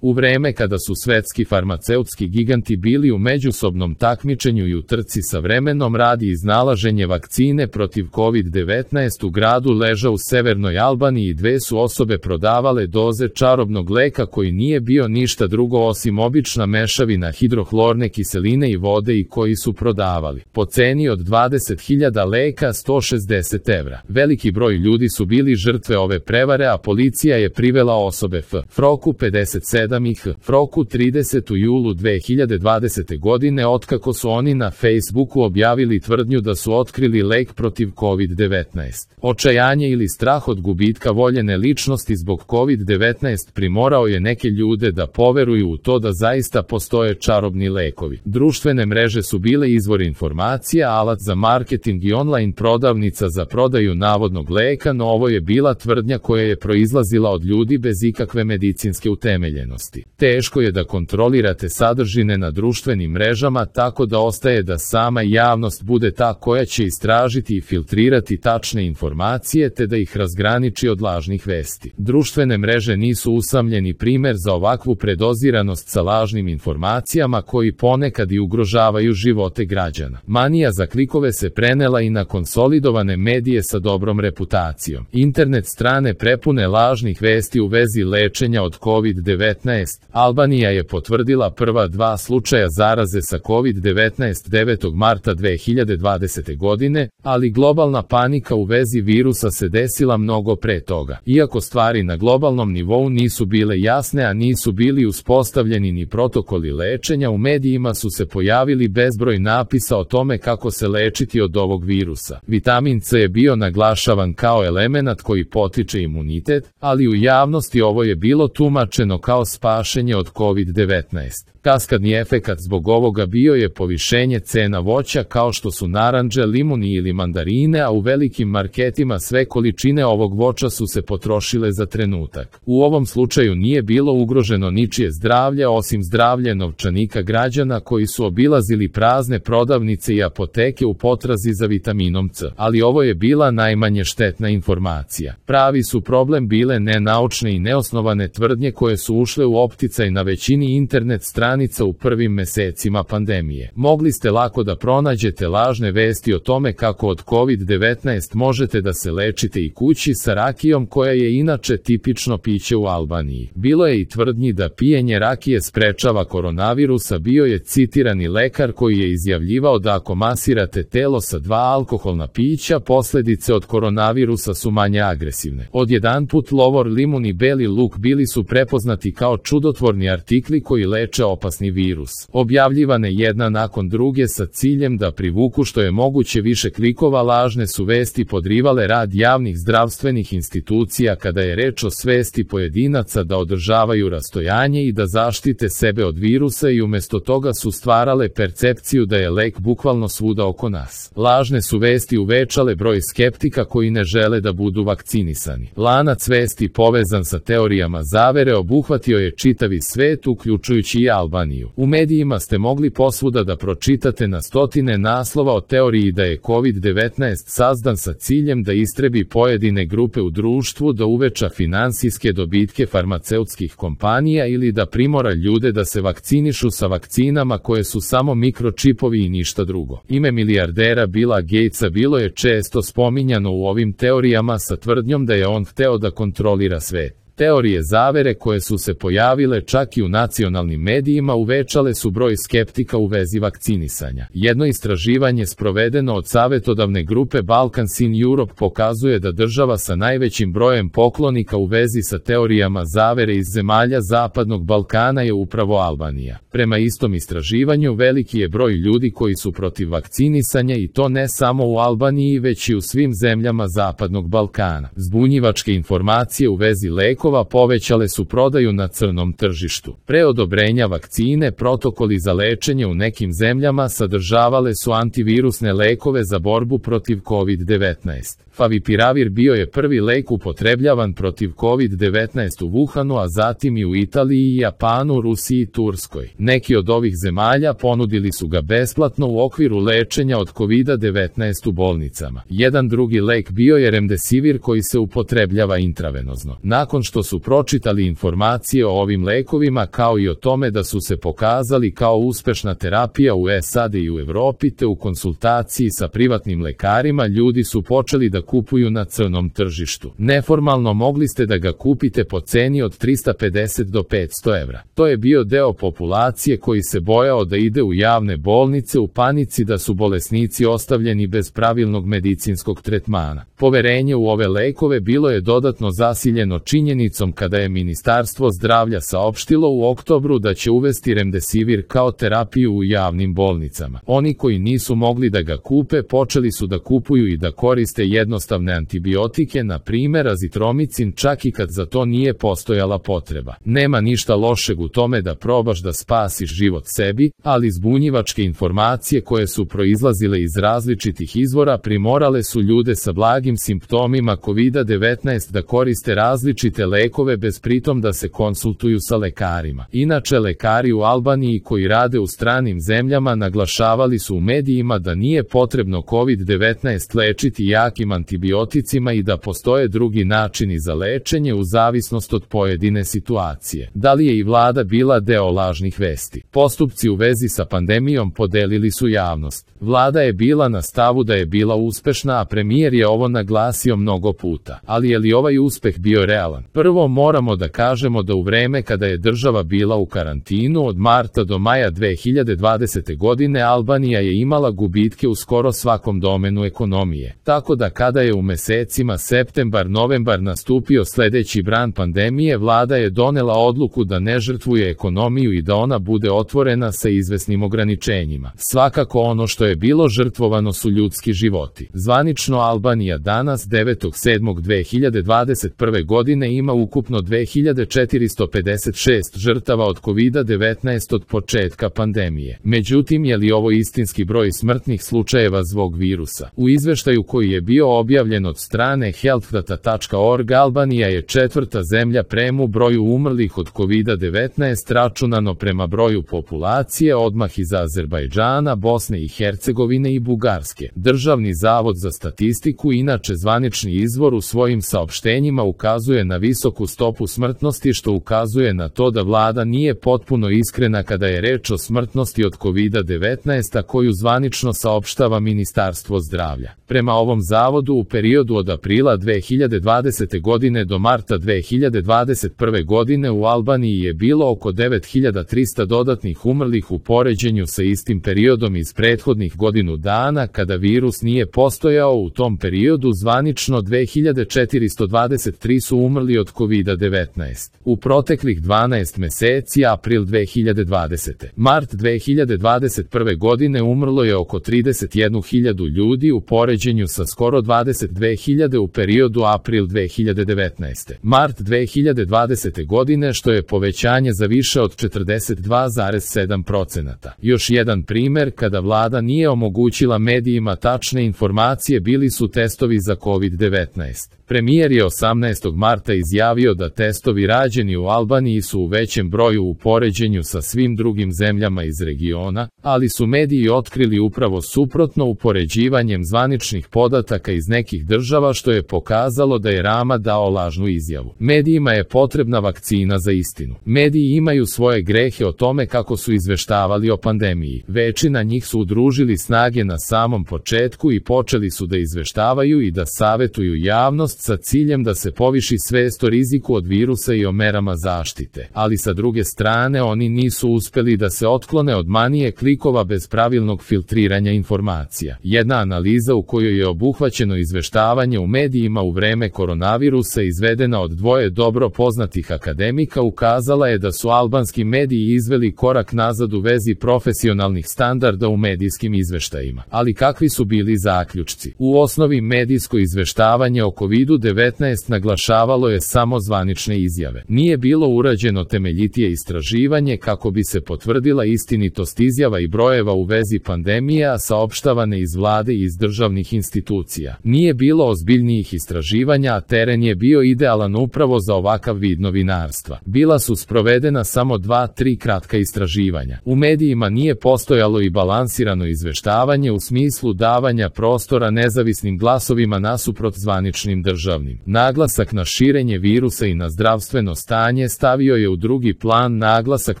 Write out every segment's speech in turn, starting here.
U vreme kada su svetski farmaceutski giganti bili u međusobnom takmičenju i u trci sa vremenom radi iznalaženje vakcine protiv COVID-19 u gradu Leža u severnoj Albaniji dve su osobe prodavale doze čarobnog leka koji nije bio ništa drugo osim obična mešavina hidrohlorne kiseline i vode i koji su prodavali po ceni od 20.000 leka 160 evra. Veliki broj ljudi su bili žrtve ove prevare, a policija je privela osobe F. Froku 57 i H. Froku 30 u julu 2020. godine otkako su oni na Facebooku objavili tvrdnju da su otkrili lek protiv COVID-19. Očajanje ili strah od gubitka voljene ličnosti zbog COVID-19 primorao je neke ljude da poveruju u to da zaista postoje čarobni lekovi. Društvene mreže su bile izvor informacija, alat za marketing i online prodavnica za prodaju navodnog leka, no ovo je bila tvrdnja koja je proizlazila od ljudi bez ikakve medicinske utemeljenosti. Teško je da kontrolirate sadržine na društvenim mrežama, tako da ostaje da sama javnost bude ta koja će istražiti i filtrirati tačne informacije te da ih razgraniči od lažnih vesti. Društvene mreže nisu usamljeni primer za ovakvu predoziranost sa lažnim informacijama koji ponekad i ugrožavaju živote građana. Manija za klikove se prenela i na konsolidovane medije sa dobrom reputacijom. Internet strane prepune lažnih vesti u vezi lečenja od COVID-19. Albanija je potvrdila prva dva slučaja zaraze sa COVID-19 9. marta 2020. godine, ali globalna panika u vezi virusa se desila mnogo pre toga. Iako stvari na globalnom nivou nisu bile jasne, a nisu bili uspostavljeni ni protokoli lečenja, u medijima su se pojavili bezbroj napisa o tome kako se lečiti od ovog virusa. Vitamin C je bio naglašavan kao elemenat koji potiče imunitet, ali u javnosti ovo je bilo tumačeno kao spašenje od COVID-19. Kaskadni efekat zbog ovoga bio je povišenje cena voća kao što su narandže, limuni ili mandarine, a u velikim marketima sve količine ovog voća su se potrošile za trenutak. U ovom slučaju nije bilo ugroženo ničije zdravlje osim zdravlje novčanika građana koji su obilazili prazne prodavnice i apoteke u potrazi za vitaminom C. Ali ovo je bila najmanje štetna informacija. Pravi su problem bile nenaučne i neosnovane tvrdnje koje su ušle u opticaj na većini internet stranica u prvim mesecima pandemije. Mogli ste lako da pronađete lažne vesti o tome kako od COVID-19 možete da se lečite i kući sa rakijom koja je inače tipično piće u Albaniji. Bilo je i tvrdnji da pijenje rakije sprečava koronavirusa, bio je citirani lekar koji je izjavljivao da ako masirate telo sa 2 alkoholna pića, posledice od koronavirusa su manje agresivne. Odjedanput lovor, limun i beli luk bili su prepoznati kao čudotvorni artikli koji leče opasni virus. Objavljivane jedna nakon druge sa ciljem da privuku što je moguće više klikova, lažne su vesti podrivale rad javnih zdravstvenih institucija kada je reč o svesti pojedinaca da održavaju rastojanje i da zaštite sebe od virusa i umesto toga su stvarale percepciju da je lek bukvalno svuda oko nas. Lažne su vesti uvećale broj skeptika koji ne žele da budu vakcinisani. Lanac vesti povezan sa teorijama zavere obuhvatio je čitavi svet, uključujući i Albaniju. U medijima ste mogli posvuda da pročitate na stotine naslova o teoriji da je COVID-19 sazdan sa ciljem da istrebi pojedine grupe u društvu, da uveća finansijske dobitke farmaceutskih kompanija ili da primora ljude da se vakcinišu sa vakcinama koje su samo mikročipovi i ništa drugo. Ime milijardera Billa Gatesa bilo je često spominjano u ovim teorijama sa tvrdnjom da je on hteo da kontrolira svet. Teorije zavere koje su se pojavile čak i u nacionalnim medijima uvećale su broj skeptika u vezi vakcinisanja. Jedno istraživanje sprovedeno od savetodavne grupe Balkans in Europe pokazuje da država sa najvećim brojem poklonika u vezi sa teorijama zavere iz zemalja Zapadnog Balkana je upravo Albanija. Prema istom istraživanju veliki je broj ljudi koji su protiv vakcinisanja i to ne samo u Albaniji već i u svim zemljama Zapadnog Balkana. Zbunjivačke informacije u vezi lekova povećale su prodaju na crnom tržištu. Pre odobrenja vakcine, protokoli za lečenje u nekim zemljama sadržavale su antivirusne lekove za borbu protiv COVID-19. Favipiravir bio je prvi lek upotrebljavan protiv COVID-19 u Wuhanu, a zatim i u Italiji, Japanu, Rusiji i Turskoj. Neki od ovih zemalja ponudili su ga besplatno u okviru lečenja od COVID-19 u bolnicama. Jedan drugi lek bio je remdesivir koji se upotrebljava intravenozno. Nakon što što su pročitali informacije o ovim lekovima kao i o tome da su se pokazali kao uspešna terapija u SAD i u Evropi, te u konsultaciji sa privatnim lekarima ljudi su počeli da kupuju na crnom tržištu. Neformalno mogli ste da ga kupite po ceni od 350 do 500 evra. To je bio deo populacije koji se bojao da ide u javne bolnice u panici da su bolesnici ostavljeni bez pravilnog medicinskog tretmana. Poverenje u ove lekove bilo je dodatno zasiljeno činjenicom kada je Ministarstvo zdravlja saopštilo u oktobru da će uvesti remdesivir kao terapiju u javnim bolnicama. Oni koji nisu mogli da ga kupe počeli su da kupuju i da koriste jednostavne antibiotike, na primjer azitromicin, čak i kad za to nije postojala potreba. Nema ništa lošeg u tome da probaš da spasiš život sebi, ali zbunjivačke informacije koje su proizlazile iz različitih izvora primorale su ljude sa blagim simptomima COVID-19 da koriste različite lekove bez pritom da se konsultuju sa lekarima. Inače, lekari u Albaniji koji rade u stranim zemljama naglašavali su u medijima da nije potrebno COVID-19 lečiti jakim antibioticima i da postoje drugi načini za lečenje u zavisnost od pojedine situacije. Da li je i vlada bila deo lažnih vesti? Postupci u vezi sa pandemijom podelili su javnost. Vlada je bila na stavu da je bila uspešna, a premijer je ovo naglasio mnogo puta. Ali je li ovaj uspeh bio realan? Prvo moramo da kažemo da u vreme kada je država bila u karantinu od marta do maja 2020. godine Albanija je imala gubitke u skoro svakom domenu ekonomije. Tako da kada je u mesecima septembar-novembar nastupio sledeći bran pandemije, vlada je donela odluku da ne žrtvuje ekonomiju i da ona bude otvorena sa izvesnim ograničenjima. Svakako ono što je bilo žrtvovano su ljudski životi. Zvanično Albanija danas 9.7.2021. godine ima ukupno 2456 žrtava od COVID-19 od početka pandemije. Međutim, je li ovo istinski broj smrtnih slučajeva zbog virusa? U izveštaju koji je bio objavljen od strane healthdata.org, Albanija je četvrta zemlja prema broju umrlih od COVID-19 računano prema broju populacije, odmah iza Azerbajdžana, Bosne i Hercegovine i Bugarske. Državni zavod za statistiku, inače zvanični izvor, u svojim saopštenjima ukazuje na visoku stopu smrtnosti, što ukazuje na to da vlada nije potpuno iskrena kada je reč o smrtnosti od COVID-19, a koju zvanično saopštava Ministarstvo zdravlja. Prema ovom zavodu, u periodu od aprila 2020. godine do marta 2021. godine u Albaniji je bilo oko 9300 dodatnih umrlih u poređenju sa istim periodom iz prethodnih godinu dana kada virus nije postojao. U tom periodu zvanično 2423 su umrli od COVID-19. U proteklih 12 meseci, april 2020. Mart 2021. godine umrlo je oko 31.000 ljudi u poređenju sa skoro 22.000 u periodu april 2019. Mart 2020. godine, što je povećanje za više od 42,7%. Još jedan primer kada vlada nije omogućila medijima tačne informacije bili su testovi za COVID-19. Premijer je 18. marta izjavio da testovi rađeni u Albaniji su u većem broju u poređenju sa svim drugim zemljama iz regiona, ali su mediji otkrili upravo suprotno upoređivanjem zvaničnih podataka iz nekih država, što je pokazalo da je Rama dao lažnu izjavu. Medijima je potrebna vakcina za istinu. Mediji imaju svoje grehe o tome kako su izveštavali o pandemiji. Većina njih su udružili snage na samom početku i počeli su da izveštavaju i da savetuju javnost sa ciljem da se poviši svest o riziku od virusa i o merama zaštite. Ali sa druge strane oni nisu uspeli da se otklone od manije klikova bez pravilnog filtriranja informacija. Jedna analiza u kojoj je obuhvaćeno izveštavanje u medijima u vreme koronavirusa izvedena od dvoje dobro poznatih akademika ukazala je da su albanski mediji izveli korak nazad u vezi profesionalnih standarda u medijskim izveštajima. Ali kakvi su bili zaključci? U osnovi medijsko izveštavanje o COVID-19 naglašavalo je samo zvanične izjave. Nije bilo urađeno temeljitije istraživanje kako bi se potvrdila istinitost izjava i brojeva u vezi pandemije, a saopštavane iz vlade i iz državnih institucija. Nije bilo ozbiljnijih istraživanja, a teren je bio idealan upravo za ovakav vid novinarstva. Bila su sprovedena samo 2-3 kratka istraživanja. U medijima nije postojalo i balansirano izveštavanje u smislu davanja prostora nezavisnim glasovima nasuprot zvaničnim državnim. Naglasak na širenje širenje virusa i na zdravstveno stanje stavio je u drugi plan naglasak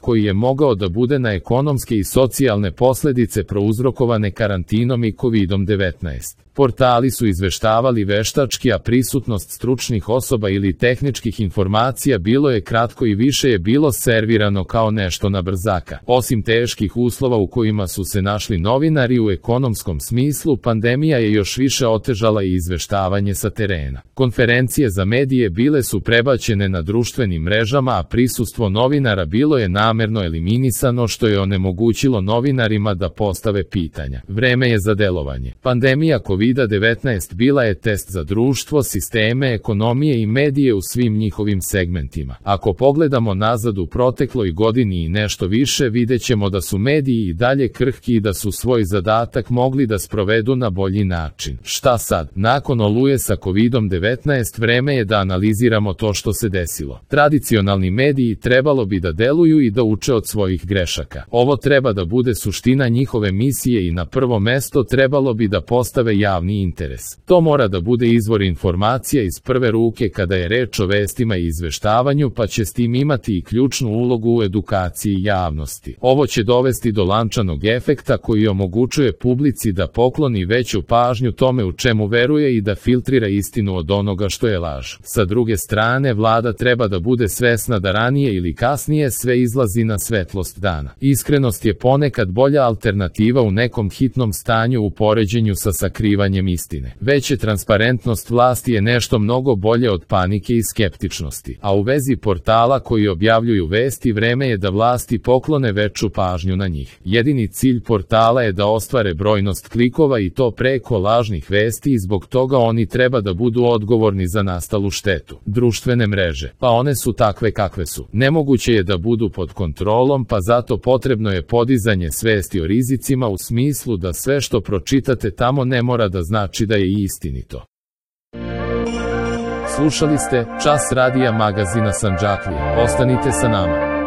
koji je mogao da bude na ekonomske i socijalne posledice prouzrokovane karantinom i COVID-19. Portali su izveštavali veštački, a prisutnost stručnih osoba ili tehničkih informacija bilo je kratko i više je bilo servirano kao nešto na brzaka. Osim teških uslova u kojima su se našli novinari u ekonomskom smislu, pandemija je još više otežala i izveštavanje sa terena. Konferencije za medije bile su prebačene na društvenim mrežama, a prisustvo novinara bilo je namerno eliminisano, što je onemogućilo novinarima da postave pitanja. Vreme je za delovanje. Pandemija COVID-19 bila je test za društvo, sisteme, ekonomije i medije u svim njihovim segmentima. Ako pogledamo nazad u protekloj godini i nešto više, videćemo da su mediji i dalje krhki i da su svoj zadatak mogli da sprovedu na bolji način. Šta sad? Nakon oluje sa COVID-19 vreme je da analiziramo to što se desilo. Tradicionalni mediji trebalo bi da deluju i da uče od svojih grešaka. Ovo treba da bude suština njihove misije i na prvo mesto trebalo bi da postave javni interes. To mora da bude izvor informacija iz prve ruke kada je reč o vestima i izveštavanju, pa će s tim imati i ključnu ulogu u edukaciji javnosti. Ovo će dovesti do lančanog efekta koji omogućuje publici da pokloni veću pažnju tome u čemu veruje i da filtrira istinu od onoga što je laž. Sa druge strane, vlada treba da bude svesna da ranije ili kasnije sve izlazi na svetlost dana. Iskrenost je ponekad bolja alternativa u nekom hitnom stanju u poređenju sa sakrivanjem istine. Veća transparentnost vlasti je nešto mnogo bolje od panike i skeptičnosti. A u vezi portala koji objavljuju vesti, vreme je da vlasti poklone veću pažnju na njih. Jedini cilj portala je da ostvare brojnost klikova i to preko lažnih vesti i zbog toga oni treba da budu odgovorni za nastalu štetu. Društvene mreže, pa one su takve kakve su. Nemoguće je da budu pod kontrolom, pa zato potrebno je podizanje svesti o rizicima u smislu da sve što pročitate tamo ne mora da znači da je istinito. Slušali ste Čas radija magazina Sandžaklije. Ostanite sa nama.